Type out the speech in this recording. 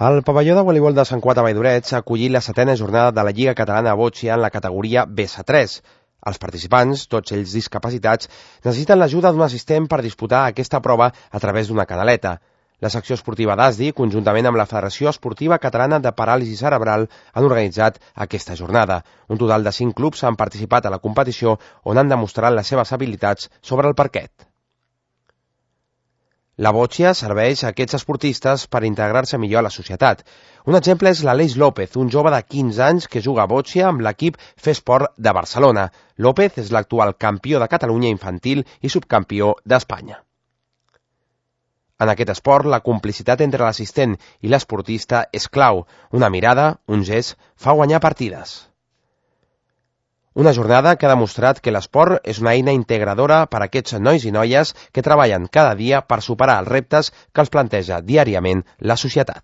El pavelló de voleibol de Sant Cugat a Valldoreix ha acollit la 7a jornada de la Lliga Catalana de Boccia en la categoria BS3. Els participants, tots ells discapacitats, necessiten l'ajuda d'un assistent per disputar aquesta prova a través d'una canaleta. La secció esportiva d'ASDI, conjuntament amb la Federació Esportiva Catalana de Paràlisi Cerebral, han organitzat aquesta jornada. Un total de 5 clubs han participat a la competició on han demostrat les seves habilitats sobre el parquet. La boccia serveix a aquests esportistes per integrar-se millor a la societat. Un exemple és l'Aleix López, un jove de 15 anys que juga a boccia amb l'equip Fesport de Barcelona. López és l'actual campió de Catalunya infantil i subcampió d'Espanya. En aquest esport, la complicitat entre l'assistent i l'esportista és clau. Una mirada, un gest, fa guanyar partides. Una jornada que ha demostrat que l'esport és una eina integradora per a aquests nois i noies que treballen cada dia per superar els reptes que els planteja diàriament la societat.